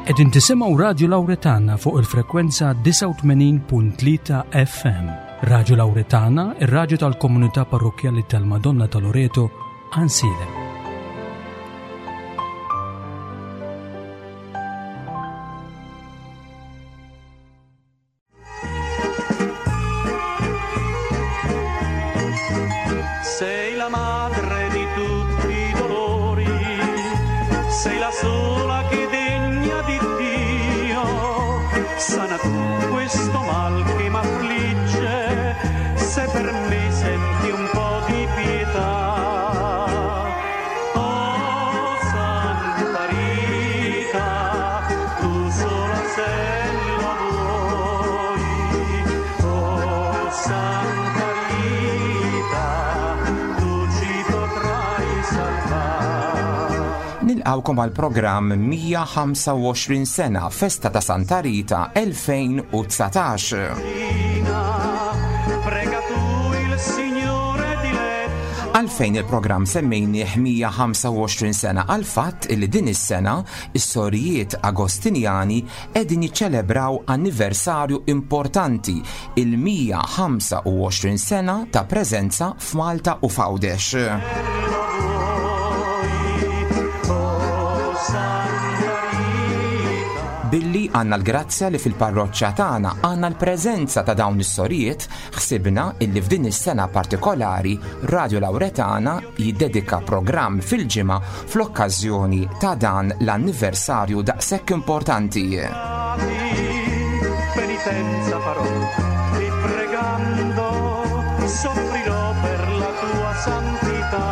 Qegħdin tisimgħu Radju Lawretana fuq il-frekwenza 89.3 FM. Radju Lawretana, ir-radju tal-komunità parrokkjali tal-Madonna ta' Loreto, Għansielem. Sei la madre di tutti i dolori, sei la sola che degna di Dio. Sana tu questo mal che m'affligge, se per me senti un po' di pietà. Oh Santa Rita, tu sola se lo vuoi. Oh Santa Rita, tu ci potrai salvar. Nilqawkom għal programm 125 sena Festa ta' Santa Rita 2019. Prega tu il Signore diletto. Għalfejn il-programm semmejnieh 125 sena għal fatt li din is-sena is-sorijiet Agostinjani qegħdin jiċċelebraw anniversarju importanti il-125 sena ta' preżenza f'Malta u f'Għawdex. Billi għandna l-grazzja li fil-parroċċa tagħna għandna l-preżenza ta' dawn is-sorijiet, ħsibna illi f'din is-sena partikolari Radio Lawretana jiddedika programm fil-ġimgħa fl-okkażjoni ta' dan l-anniversarju daqshekk importanti. Penitenza farò e pregando soffrirò per la tua santità.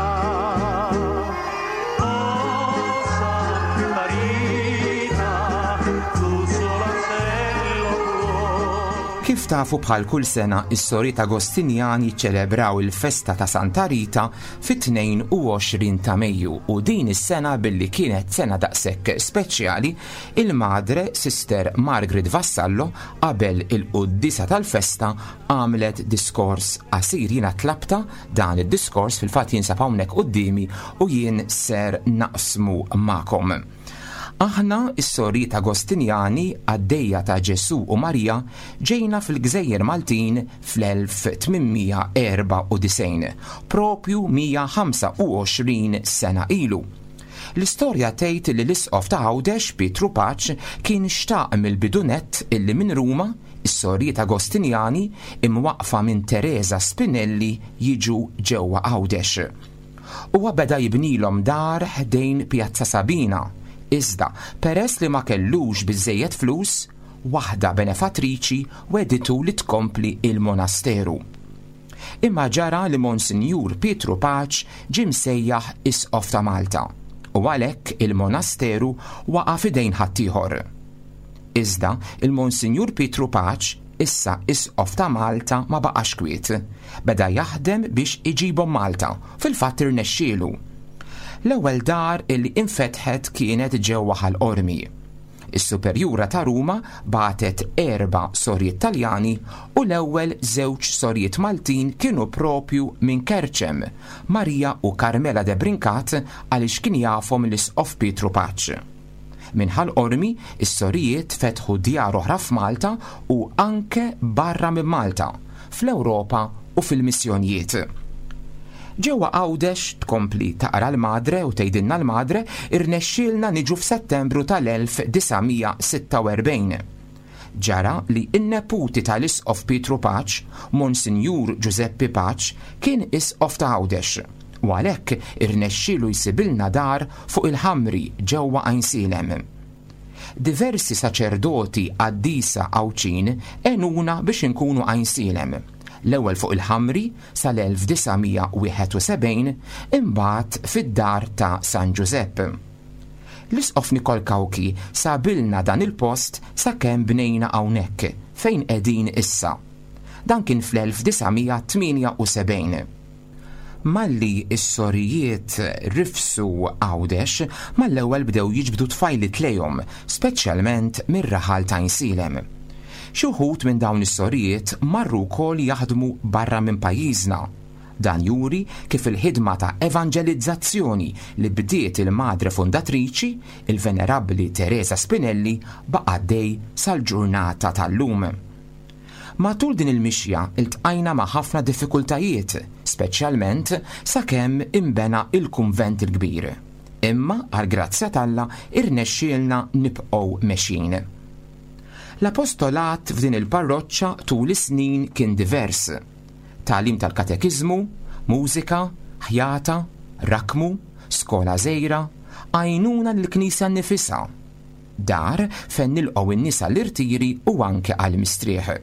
Oh Santa Rita, tu sola se lo puoi. Kif tafu bħal kull sena, is-sorijiet Agostinjani jiċċelebraw il-festa ta' Santa Rita fit-22 ta' Mejju u din is-sena billi kienet sena daqshekk speċjali, il-Madre Sister Margaret Vassallo qabel il-quddiesa tal-festa għamlet diskors qasir. Jiena tlabta dan id-diskors fil-fatt jinsab hawnhekk quddiemi u jien ser naqsmu magħkom. Aħna is-sorijiet Agostinjani qaddejja ta' Ġesù u Marija ġejna fil-Gżejjer Maltin fl-1894, propju 125 sena ilu. L-istorja tgħid li l-isqof ta' Għawdex Pietru Paċ kien xtaq mill-bidu nett illi minn Ruma is-sorijiet Agostinjani imwaqqfa minn Teresa Spinelli jiġu ġewwa Għawdex. Huwa beda jibnilhom dar ħdejn Pjazza Sabina, iżda peress li ma kellux biżżejjed flus, waħda benefattriċi wegħditu li tkompli il-monasteru. Imma ġara li Monsinjur Pietru Paċ ġie msejjaħ Isqof ta' Malta u għalhekk il-monasteru waqa' f'idejn ħaddieħor. Iżda il-Monsinjur Pietru Paċ, issa Isqof ta' Malta, ma baqax kwiet. Beda jaħdem biex iġibhom Malta, fil-fatt irnexxielu. L-ewwel dar illi infetħet kienet ġewwa Ħal Qormi. Is-Superjura ta' Ruma bagħtet 4 sorijiet Taljani u l-ewwel żewġ sorijiet Maltin kienu propju minn Kerċem, Marija u Carmela de Brincat għaliex kien jafhom l-Isqof Pietru Paċ. Minn Ħal Qormi, is-sorijiet fetħu djar oħra f'Malta u anke barra minn Malta, fl-Ewropa u fil-missjonijiet. Ġewwa Għawdex, tkompli taqra l-Madre u tgħidilna l-Madre, irnexxielna niġu f'Settembru tal-1946. Ġara li n-neputi tal-Isqof Pietru Paċ, Monsinjur Ġużeppi Paċ, kien Isqof ta' Għawdex u għalhekk irnexxielu jsibilna dar fuq il-Ħamri ġewwa Għajnsielem. Diversi saċerdoti qaddisa Għawdxin għenuna biex inkunu Għajnsielem, l-ewwel fuq il-Ħamri sal-1971, imbagħad fid-dar ta' San Ġużepp. L-Isqof Nikol Cauchi sabilna dan il-post sakemm bnejna hawnhekk fejn qegħdin issa. Dan kien fl-1978. Malli s-sorijiet rifsu Għawdex, mal-ewwel bdew jiġbdu tfajliet lejhom, speċjalment mir-raħal ta' Għajnsielem. Xi wħud minn dawn is-sorijiet marru wkoll jaħdmu barra minn pajjiżna. Dan juri kif il-ħidma ta' evanġelizzazzjoni li bdiet il-Madre Fundatriċi, il-Venerabbli Teresa Spinelli, baqa' għaddej sal-ġurnata tal-lum. Matul din il-mixja ltqajna ma' ħafna diffikultajiet, speċjalment sakemm inbena il-kunvent il-kbir. Imma għall-grazzja t'Alla irnexxielna nibqgħu mexjin. L-apostolat f'din il-parroċċa tul is-snin kien divers. Tagħlim tal-katekiżmu, mużika, ħjata, rakkmu, skola żgħira, għajnuna lill-knisja nnifisha, dar fejn nilqgħu n-nies għall-irtiri u anke għall-mistrieħ.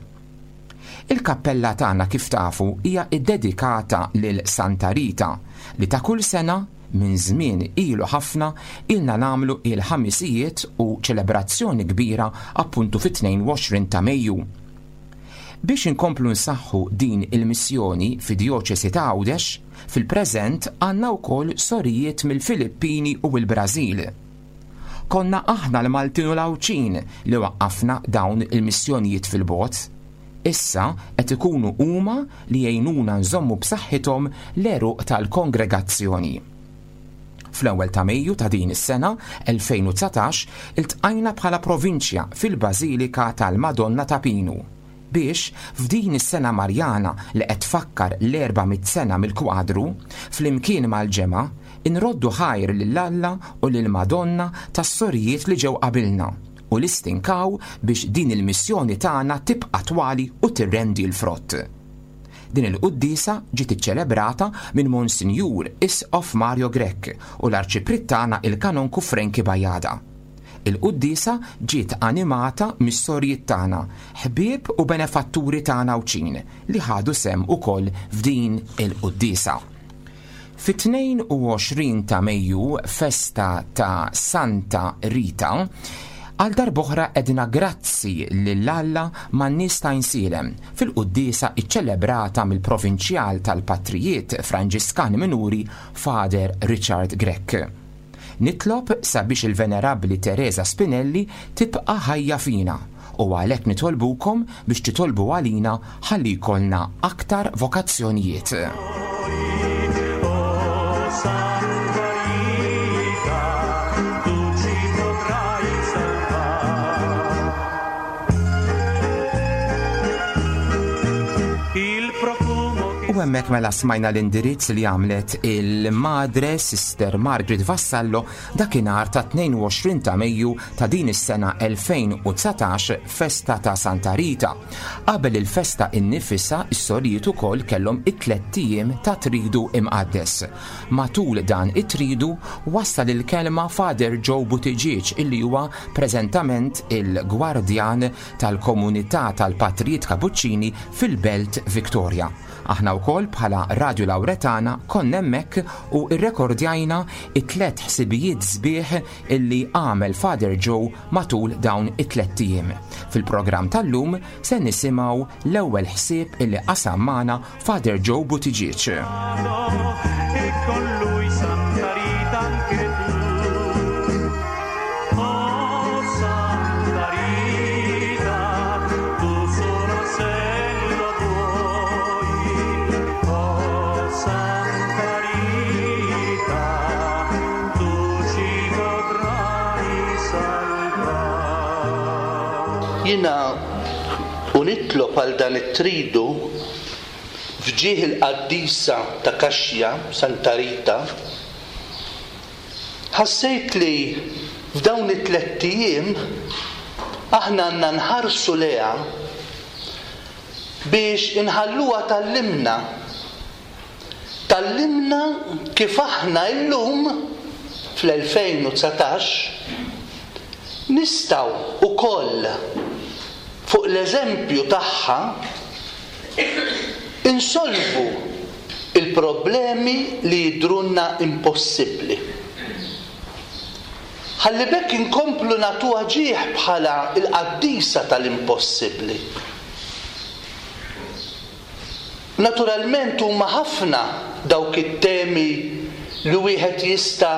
Il-kappella tagħna kif tafu hija ddedikata lil Santa Rita li ta' kull sena minn żmien ilu ħafna ilna nagħmlu il-ħamisijiet u ċelebrazzjoni kbira appuntu fit-22 ta' Mejju. Biex inkomplu nsaħħu din il-missjoni fid-Djoċesi ta' Għawdex, fil-preżent għandna wkoll sorijiet mill-Filippini u l-Brażil. Konna aħna l-Maltin u l-Għawdxin li waqqafna dawn il-missjonijiet fil-bogħod. Issa qed ikunu huma li jgħinuna nżommu b'saħħithom l-għeruq tal-kongregazzjoni. Fl-ewwel ta' Mejju ta' din is-sena, 2019, iltqajna bħala Provinċja fil-Bażilika tal-Madonna ta' Pinu biex, f'din is-sena Marjana li qed tfakkar l-400 sena mill-kwadru, flimkien mal-ġemgħa, inroddu ħajr lil Alla u lill-Madonna tas-sorijiet li ġew qabilna u li stinkaw biex din il-missjoni tagħna tibqa' attwali u tirrendi l-frott. Din il-quddiesa ġiet iċċelebrata minn Monsinjur Isqof Mario Grech u l-Arċipriet tagħna il-Kanonku Frankie Bajada. Il-quddiesa ġiet animata mis-sorijiet tagħna, ħbieb u benefatturi tagħna Għawdxin li ħadu sehem ukoll f'din il-quddiesa. Fit-22 ta' Mejju, festa ta' Santa Rita, għal darb'oħra għedna grazzi lil Alla man-nies ta' Għajnsielem fil-quddiesa ċċelebrata mill-Provinċjal tal-Patrijiet Franġiskani Minuri Father Richard Grech. Nitlob sabiex il-Venerabbli Teresa Spinelli tibqa' ħajja fina u għalhekk nitolbukom biex titolbu għalina ħalli jkollna aktar vokazzjonijiet. U hemmhekk mela smajna l-indirizz li għamlet il-Madre Sister Margaret Vassallo dakinhar ta' 22 ta' Mejju ta' din is-sena 2019 festa ta' Santa Rita. Qabel il-festa innifisha is-sorijiet ukoll kellhom it-tlett ijiem ta' Tridu Imqaddes. Matul dan it-tridu wassal il-kelma Father Joe Buttigieg illi huwa preżentament il-gwardjan tal-komunità tal-Patrijiet Kapuċċini fil-Belt Victoria. Aħna wkoll bħala Radju Lawretana konna hemmhekk u rrekordjajna it-tlett ħsibijiet sbieħ illi għamel Father Joe matul dawn it-tlett ijiem. Fil-programm tal-lum se nisimgħu l-ewwel ħsieb illi qasam magħna Father Joe Buttigieg. Jiena u nitlob għal dan it-tridu F'ġieħ il-qaddisa ta' Cascia, Santa Rita, ħassejt li f'dawn it-tlett ijiem aħna għandna nħarsu lejha biex inħalluha tgħallimna. Tgħallimna kif aħna illum, fl-2019, nistgħu wkoll fuq l-eżempju tagħha Insolvu l-problemi li jidhrulna impossibbli. Ħalli b'hekk inkomplu nagħtuha ġieħ bħala l-qaddisa tal-impossibbli. Naturalment huma ħafna dawk it-temi li wieħed jista'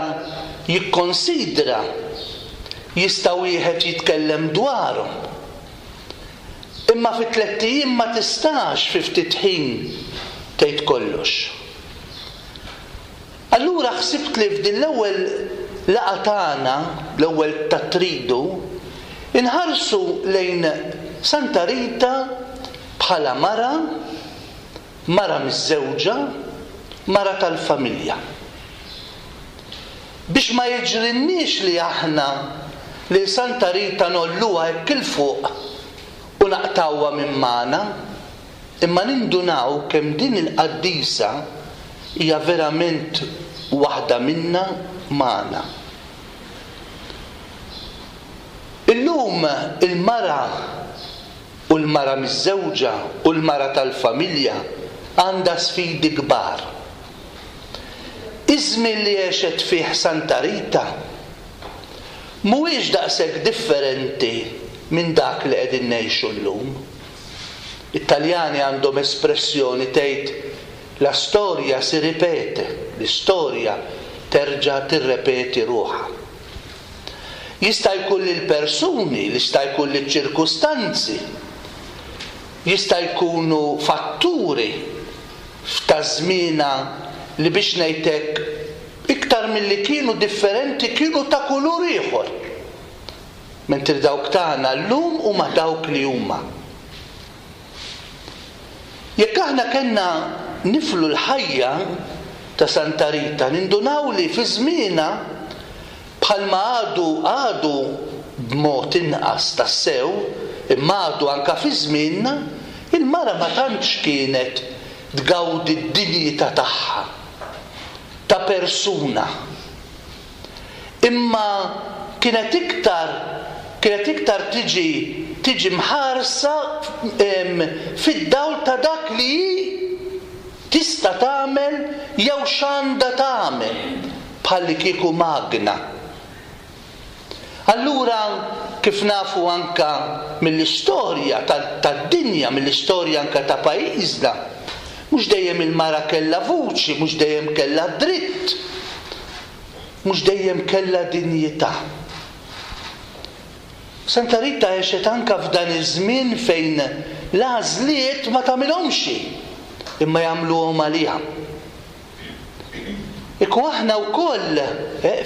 jikkonsidra, jista' wieħed jitkellem dwarhom. Imma fi tlett ijiem ma tistax fi ftit ħin tgħid kollox. Allura ħsibt li f'din l-ewwel laqgħa tagħna, l-ewwel tat-Tridu, inħarsu lejn Santa Rita bħala mara, mara miżżewġa, mara tal-familja. Biex ma jiġrilniex li aħna lil Santa Rita ngħolluha hekk 'il fuq u naqtgħuha minn magħna, imma nindunaw kemm din il-qaddisa hija verament waħda minna magħna. Illum il-mara u l-mara miżżewġa u l-mara tal-familja għandha sfidi kbar. Iż-żmien li għexet fih Santa Rita mhuwiex daqshekk differenti minn dak li qegħdin ngħixu llum. It-Taljani għandhom espressjoni tgħid la storia si ripete, l-istorja terġa' tirrepeti ruħha. Jista' jkun li l-persuni, jista' jkun li ċ-ċirkustanzi, jista' jkunu fatturi f'ta' żmienha li biex ngħid hekk iktar milli kienu differenti kienu ta' kulur ieħor. Mentri dawk tagħna llum huma dawk li huma. Jekk aħna kellna niflu l-ħajja ta' Santa Rita nindunaw li fi żmienha bħalma għadu għadu b'mod inqas tassew imma għadu anke fi żmienna il-mara ma tantx kienet tgawdi d-dinjità tagħha ta' persuna. Imma kienet iktar kienet iktar tiġi tiġi mħarsa fid-dawl ta' dak li hi tista' tagħmel jew x'għandha tagħmel, bħallikieku magna. Allura, kif nafu anke mill-istorja tad-dinja, mill-istorja anke ta' pajjiżna, mhux dejjem il-mara kellha vuċi, mhux dejjem kellha dritt, mhux dejjem kellha dinjità. Santa Rita għexet anke f'dan iż-żmien fejn l-għażliet ma tagħmilhomx hi, imma jagħmluhom għaliha. Kieku aħna wkoll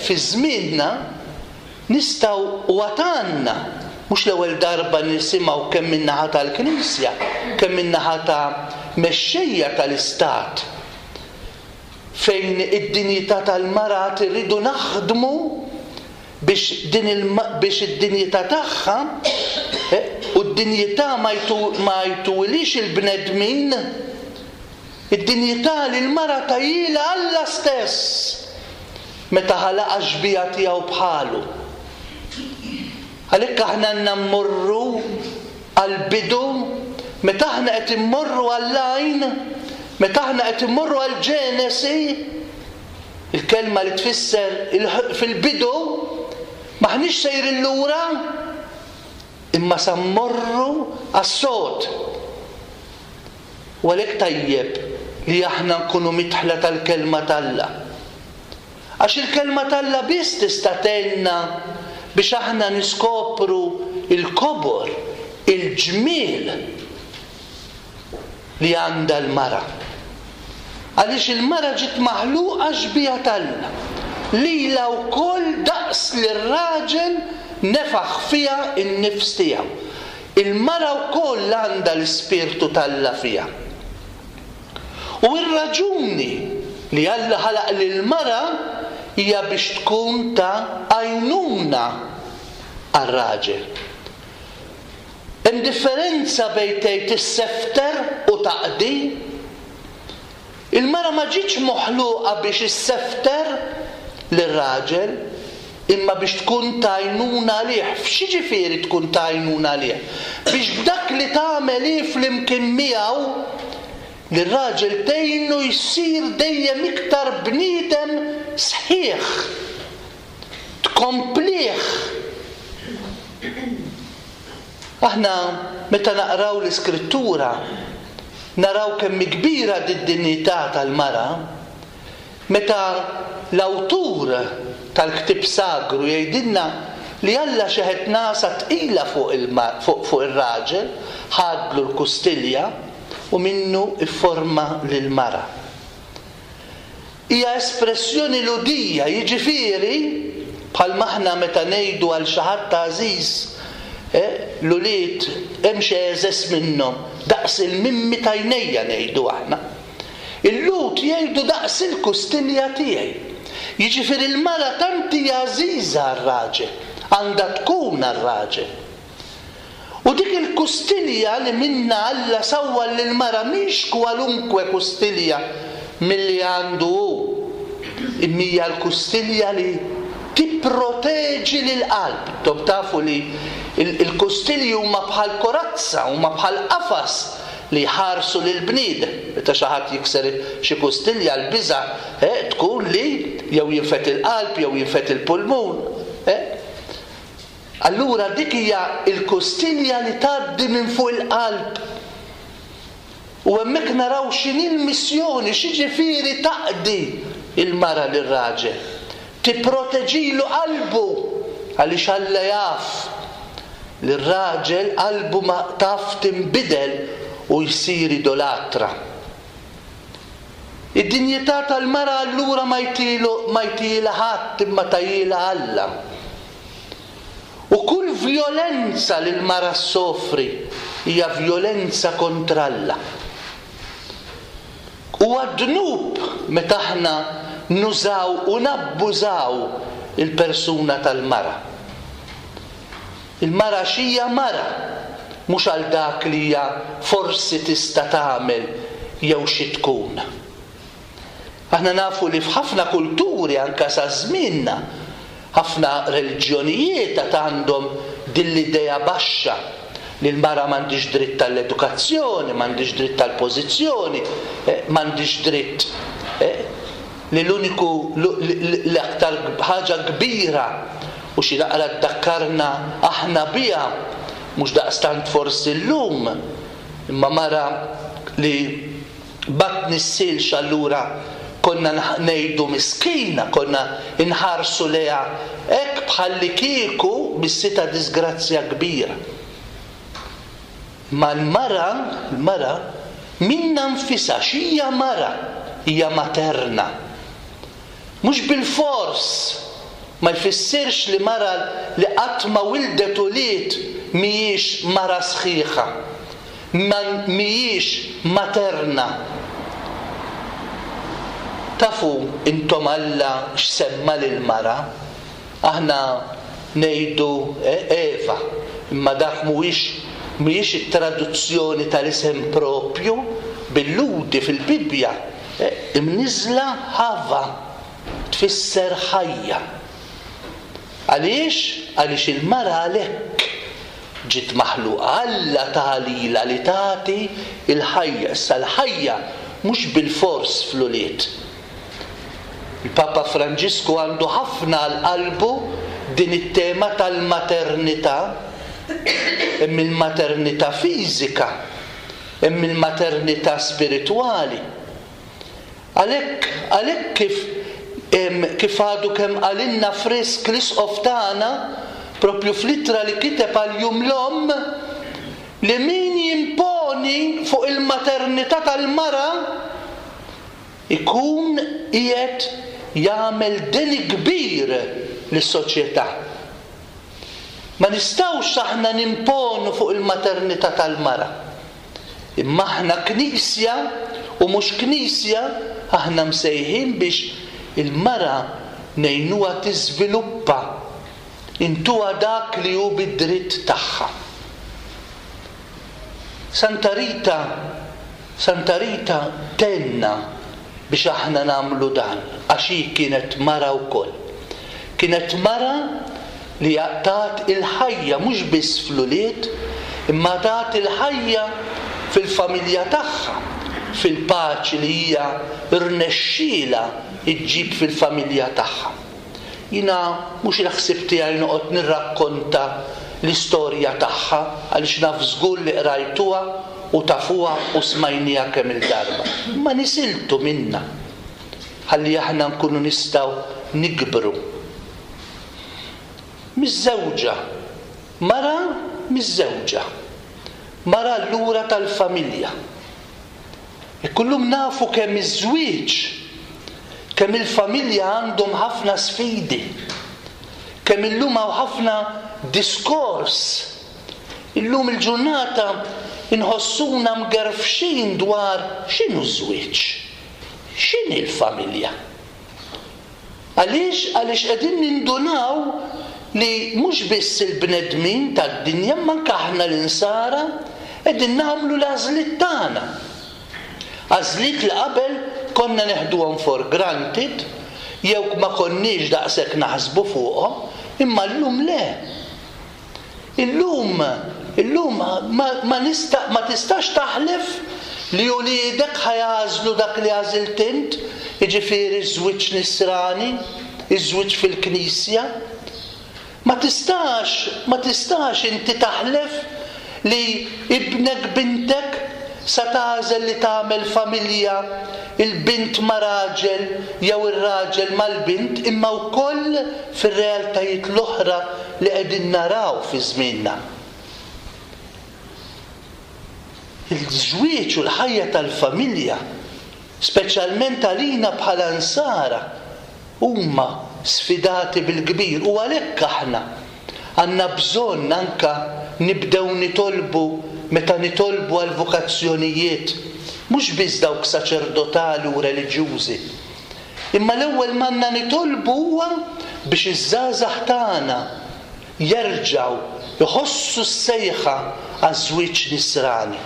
fi żmienna nistgħu u għad għandna, mhux l-ewwel darba nisimgħu kemm min-naħa tal-Knisja, kemm min-naħa ta' mexxejja tal-Istat, fejn id-dinjità tal-mara għad irridu naħdmu biex din il biex id-dinjità tagħha u d-dinjità ma jtuhilhiex il-bnedmin, Id-dinjità li l-mara tahielha Alla stess meta ħalaqha xbieha tiegħu bħalu. Għalhekk aħna għandna mmorru għall-bidu, meta aħna qed immorru għall-għajn, meta aħna qed immorru għall-Ġenesi, il-kelma li tfisser fil-bidu, m'aħniex sejrin lura, imma sa mmorru għas-sod. U għalhekk tajjeb li aħna nkunu midħla tal-Kelma t'Alla. Għax il-Kelma t'Alla biss tista' tgħinna biex aħna niskopru l-kobor, il-ġmiel li għandha l-mara. Għaliex il-mara ġiet maħluqa xbieha t'Alla. Lilha wkoll daqs lir-raġel nefaħ fiha n-nifs tiegħu. Il-mara wkoll għandha l-Ispirtu t'Alla fiha. U r-raġuni li Alla ħalaq lill-mara hija biex tkun ta' għajnuna għar-raġel. Hemm differenza bejn tgħid issefter u taqdi. Il-mara ma ġietx moħluqa biex issefter lir-raġel, imma biex tkun ta' għajnuna għalih. X'jiġifieri tkun ta' għajnuna għalih? Biex b'dak li tagħmel hi flimkien miegħu, lir-raġel tgħinu jsir dejjem iktar bniedem sħiħ. Tkomplih. Aħna meta naqraw l-Iskrittura naraw kemm hi kbira d-dinjità tal-mara meta l-awtur tal-ktieb sagru jgħidilna li Alla xeħet nagħsa tqila fuq fuq ir-raġel, ħadlu l-kustilja u minnu fforma lill-mara. Hija espressjoni Lhudija, jiġifieri, bħalma aħna meta ngħidu għal xi ħadd għażiż, l-ulied hemm xi għeżeż minnhom, daqs il-mimmi t'għajnejja ngħidu aħna. Il-Lhud jgħidu daqs il-kustilja tiegħi. Jiġifieri l-mara tant hija għażiża għar-raġel, għandha tkun għar-raġel. U dik il-kustilja li minnha Alla sawwar lill-mara mhix kwalunkwe kustilja milli għandu hu, imma hija l-kustilja li tipproteġi lill-qalb. Intom tafu li l-kustilji huma bħal korazza, huma bħal qafas li jħarsu lill-bniedem. Meta xi ħadd jikser xi kustilja l-biża' tkun li jew jinfed il-qalb jew jinfed il-pulmun. Allura dik hija l-kustilja li tgħaddi minn fuq il-qalb. U hemmhekk naraw x'inhi l-missjoni, x'jiġifieri taqdi l-mara lir-raġel. Tipproteġilu qalbu għaliex Alla jaf li r-raġel qalbu ma taf tinbidel u jsir idolatra. Id-dinjità tal-mara allura ma jtilu ma jtielha ħadd imma tahielha Alla. U kull vjolenza li l-mara ssofri hija vjolenza kontra Alla. Huwa dnub meta aħna nużaw u nabbużaw il-persuna tal-mara. Il-mara għax hija mara, mhux għal dak li hija forsi tista' tagħmel jew xi tkun. Aħna nafu li f'ħafna kulturi anke sa żmienna, ħafna reliġjonijiet għad għandhom din l-idea baxxa li l-mara m'għandhiex dritt għall-edukazzjoni, m'għandhiex dritt għall-pożizzjoni, m'għandhiex dritt li l-uniku l-aktar ħaġa kbira u xi naqra ddakkarna aħna biha, mhux daqstant forsi llum, imma mara li ma tnissilx allura konna ngħidu miskina, konna nħarsu lejha hekk bħallikieku missitha diżgrazzja kbira. Imma l-mara, l-mara, minnha nfisha x'hija mara? Hija materna. Mhux bilfors, ma jfissirx li mara li qatt ma wildet ulied mhijiex mara sħiħa. Ma mhijiex materna. Tafu intom Alla x'semma lill-mara? Aħna ngħidu Eva, imma dak mhuwiex mhijiex it-traduzzjoni tal-isem proprju bil-Lhudi fil-Bibbja, imniżżla Ħava, tfisser ħajja. Għaliex? Għaliex il-mara għalhekk ġiet maħluqa. Alla ta lilha li tagħti l-ħajja. Issa l-ħajja mhux bilfors fl-ulied. Il-Papa Franġisku għandu ħafna għal qalbu din it-tema tal-maternità. Hemm il-maternità fiżika, hemm il-maternità spiritwali. Għalhekk, għalhekk kif kif għadu kemm qalilna frisk l-Isqof tagħna, proprju fl-ittra li kiteb għal Jum l-Omm, li min jimponi fuq il-maternità tal-mara ikun qiegħed jagħmel deni kbir lis-soċjetà. Ma nistgħux aħna nimponu fuq il-maternità tal-mara. Imma aħna Knisja u mhux Knisja, aħna msejħin biex il-mara ngħinuha tiżviluppa, intuha dak li hu bi dritt tagħha. Santa Rita, Santa Rita tgħinna biex aħna nagħmlu dan għax hi kienet mara wkoll. Kienet mara li tat il-ħajja mhux biss fl-ulied imma tat il-ħajja fil-familja tagħha, fil-paċi li hija rnexxielha ġġib fil-familja tagħha. Jiena mhux il-ħsieb tiegħi noqgħod nirrakkonta l-istorja tagħha għaliex naf żgur li qrajtuha u tafuha u smajniha kemm-il darba. Imma nisiltu minnha ħalli aħna nkunu nistgħu nikbru. Miżżewġa. Mara miżżewġa. Mara allura tal-familja. Hekk illum nafu kemm iż-żwieġ. Kemm il-familja għandhom ħafna sfidi. Kemm illum hawn ħafna diskors. Illum il-ġurnata inħossuna mgerfxin dwar x'inhu ż-żwieġ? X'inhi l-familja? Għaliex? Għaliex qegħdin nindunaw li mhux biss il-bnedmin tad-dinja imma anke aħna l-Insara qegħdin nagħmlu l-għażliet tagħna. Għażliet li qabel konna neħduhom for granted jew ma konniex daqshekk naħsbu fuqhom, imma llum le. Illum, illum ma, ma nista, ma tistax taħlef li uliedek ħa jagħżlu dak li għażilt int, jiġifieri ż-żwieġ nisrani, iż-żwieġ fil-Knisja. Ma tistax, ma tistax inti taħlef li ibnek, bintek sa tagħżel li tagħmel familja, il-bint ma' raġel jew ir-raġel mal-bint imma wkoll fir-realtajiet l-oħra li qegħdin naraw fi żmienna. Il-żwieġ u l-ħajja tal-familja, speċjalment għalina bħala Nsara, huma sfidati bil-kbir u għalhekk aħna għandna bżonn anke nibdew nitolbu meta nitolbu għall-vokazzjonijiet, mhux biss dawk saċerdotali u reliġjużi. Imma l-ewwel m'għandna nitolbu huwa biex iż-żgħażagħ tagħna jerġgħu jħossu s-sejħa għaż-żwieġ nisrani.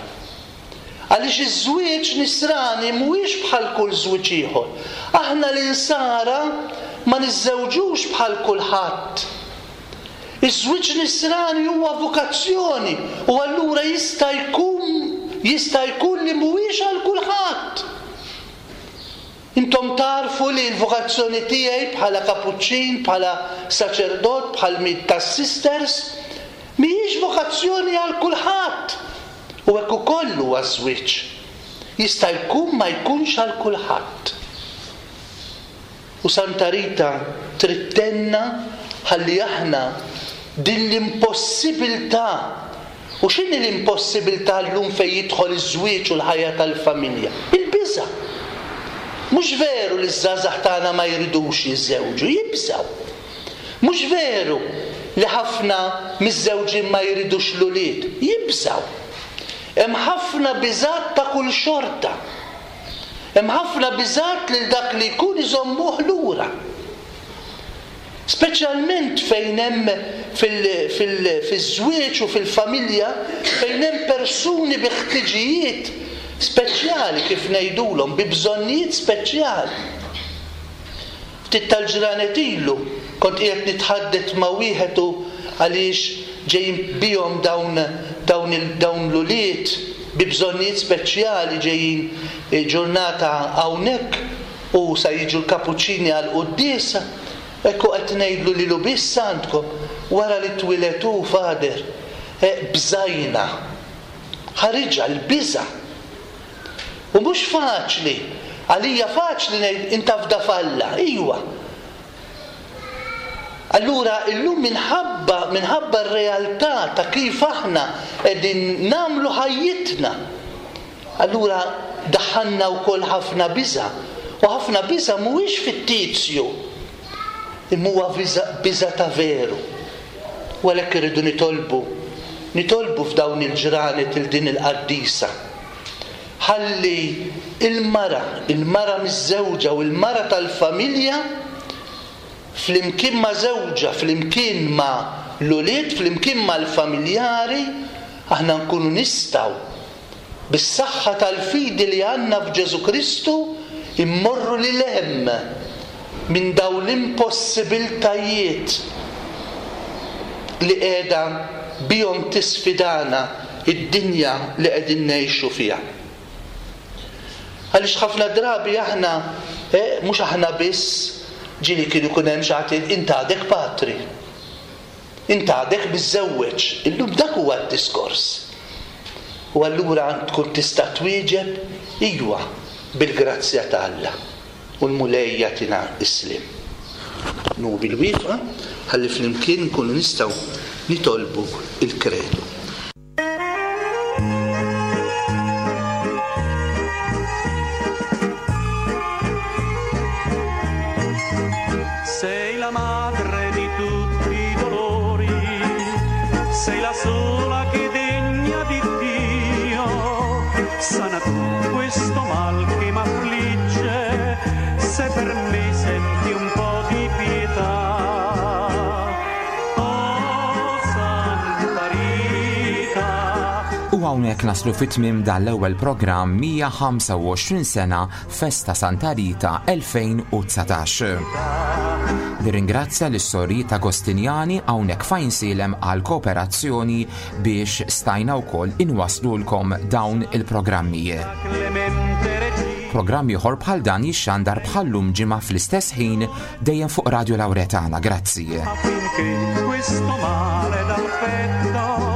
Għaliex iż-żwieġ nisrani mhuwiex bħal kull żwieġ ieħor. Aħna l-Insara ma niżżewġux bħal kulħadd. Iż-żwieġ nisrani huwa vokazzjoni u allura jista' jkun jista' jkun li mhuwiex għal kulħadd. Intom tagħrfu li l-vokazzjoni tiegħi bħala kapuċċin, bħala saċerdot, bħal mid tas-sisters, mhijiex vokazzjoni għal kulħadd. U hekk ukoll huwa ż-żwieġ. Jista' jkun ma jkunx għal kulħadd. U Santa Rita trid tgħinna ħalli aħna din l-impossibiltà, u x'inhi l-impossibiltà llum fejn jidħol iż-żwieġ u l-ħajja tal-familja? Il-biża'. Mhux veru li ż-żgħażagħ tagħna ma jridux jiżżewġu, jibżgħu. Mhux veru li ħafna miżżewġin ma jridux l-ulied, jibżgħu. Hemm ħafna biżgħat ta' kull xorta. Hemm ħafna biżgħat lil dak li jkun iżommuh lura. Speċjalment fejn hemm fiż-żwieġ u fil-familja fejn hemm persuni bi ħtiġijiet speċjali kif ngħidulhom, bi bżonnijiet speċjali. Ftit tal-ġranet ilu kont qiegħed nitħaddet ma' wieħed u għaliex ġejjin bihom dawn dawn dawn l-ulied bi bżonnijiet speċjali ġejjin ġurnata hawnhekk u sa jiġu l-kapuċċini għall-quddiesa. Hekk u qed ngħidlu lilu biss għandkom wara li twieled hu Father bżajna. Ħariġha l-biża'. U mhux faċli. Għalija faċli ngħid int afda f'Alla. Iwa. Allura illum minħabba minħabba r-realtà ta' kif aħna qegħdin nagħmlu ħajjitna, allura daħħalna wkoll ħafna biża'. U ħafna biża' mhuwiex fittizju, imma huwa biża' ta' veru. U għalhekk irridu nitolbu, nitolbu f'dawn il-ġranet 'il din il-qaddisa. Ħalli l-mara, il-mara miżżewġa u l-mara tal-familja, flimkien ma' żewġha, flimkien ma' l-ulied, flimkien mal-familjari, aħna nkunu nistgħu, bis-saħħa tal-fidi li għandna f'Ġesù Kristu, immorru lil hemm minn dawn l-impossibiltajiet li qiegħda bihom tisfidana d-dinja li qegħdin ngħixu fiha. Għaliex ħafna drabi aħna, eh, mhux aħna biss, ġieli kien ikun hemm xi ħadd jgħid int għadek patri. Int għadek miżżewweġ. Illum dak huwa d-diskors. U allura tkun tista' twieġeb iwa bil-grazzja ta' Alla. U l-Mulej jagħtina s-sliem. Nuru bil-wieqfa ħalli flimkien nkunu nistgħu nitolbu l-Kredu. madre di tutti i dolori, sei la sola che degna di Dio, sana tu questo mal che m'affligge, se per me senti un po' di pietà. Oh Santa Rita. U hawnhekk naslu fit-tmiem dan l-ewwel programm 125 sena Festa Santa Rita 2019. Nirringrazzja lis-sorijiet Agostinjani hawnhekk f'Għajnsielem għall-kooperazzjoni biex stajna wkoll inwasslulkom dawn il-programmi. Programm ieħor bħal dan jixxandar bħal-lum ġimgħa fl-istess ħin dejjem fuq Radio Lauretana. Grazzi. Affinché questo male dal petto.